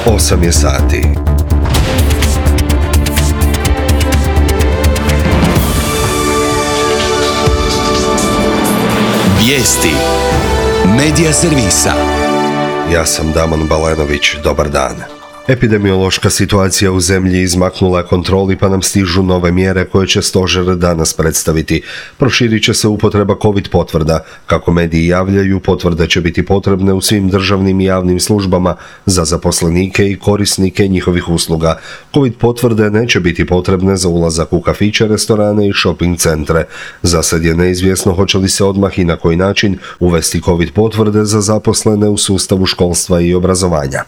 8 je sati. Vijesti Medija servisa. Ja sam Damon Balenović, dobar dan. Epidemiološka situacija u zemlji izmaknula je kontroli pa nam stižu nove mjere koje će stožer danas predstaviti. Proširit će se upotreba COVID potvrda. Kako mediji javljaju, potvrde će biti potrebne u svim državnim i javnim službama za zaposlenike i korisnike njihovih usluga. COVID potvrde neće biti potrebne za ulazak u kafiće, restorane i shopping centre. Za sad je neizvjesno hoće li se odmah i na koji način uvesti COVID potvrde za zaposlene u sustavu školstva i obrazovanja.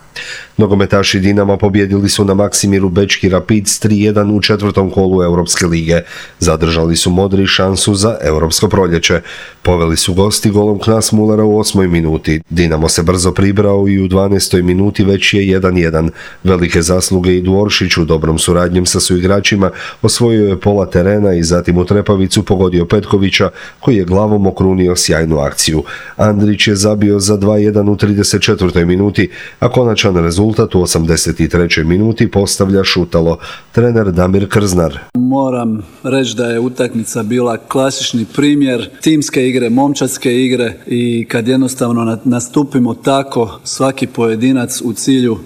Nogometaši Dinama pobjedili su na Maksimiru Bečki Rapids 3-1 u četvrtom kolu Europske lige. Zadržali su modri šansu za Europsko proljeće. Poveli su gosti golom Knas Mullera u 8. minuti. Dinamo se brzo pribrao i u 12. minuti već je 1-1. Velike zasluge idu Oršiću, dobrom suradnjem sa suigračima osvojio je pola terena i zatim u trepavicu pogodio Petkovića koji je glavom okrunio sjajnu akciju. Andrić je zabio za 2-1 u 34. minuti, a konačan rezultat u 83. minuti postavlja Šutalo, trener Damir Krznar. Moram reći da je utakmica bila klasični primjer timske igre, momčadske igre i kad jednostavno nastupimo tako svaki pojedinac u cilju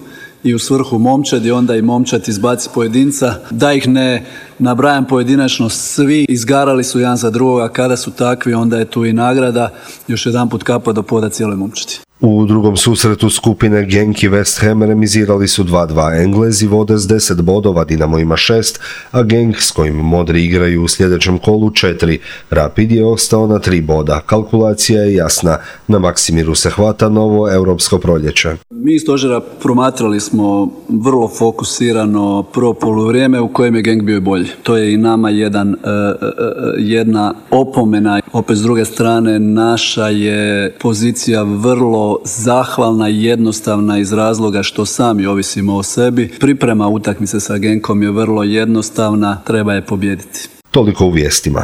i u svrhu momčadi, onda i momčad izbaci pojedinca. Da ih ne nabrajam pojedinačno, svi izgarali su jedan za drugoga, kada su takvi onda je tu i nagrada. Još jedan put kapa do poda cijeloj momčadi. U drugom susretu skupine Genk i West Ham remizirali su 2-2. Englezi vode s 10 bodova, Dinamo ima 6, a Genk s kojim modri igraju u sljedećem kolu 4. Rapid je ostao na 3 boda. Kalkulacija je jasna. Na Maksimiru se hvata novo europsko proljeće. Mi iz stožera promatrali smo vrlo fokusirano prvo poluvrijeme u kojem je Genk bio bolji. To je i nama jedna opomena. Opet s druge strane naša je pozicija vrlo zahvalna i jednostavna iz razloga što sami ovisimo o sebi. Priprema utakmice sa Genkom je vrlo jednostavna, treba je pobijediti. Toliko u vijestima.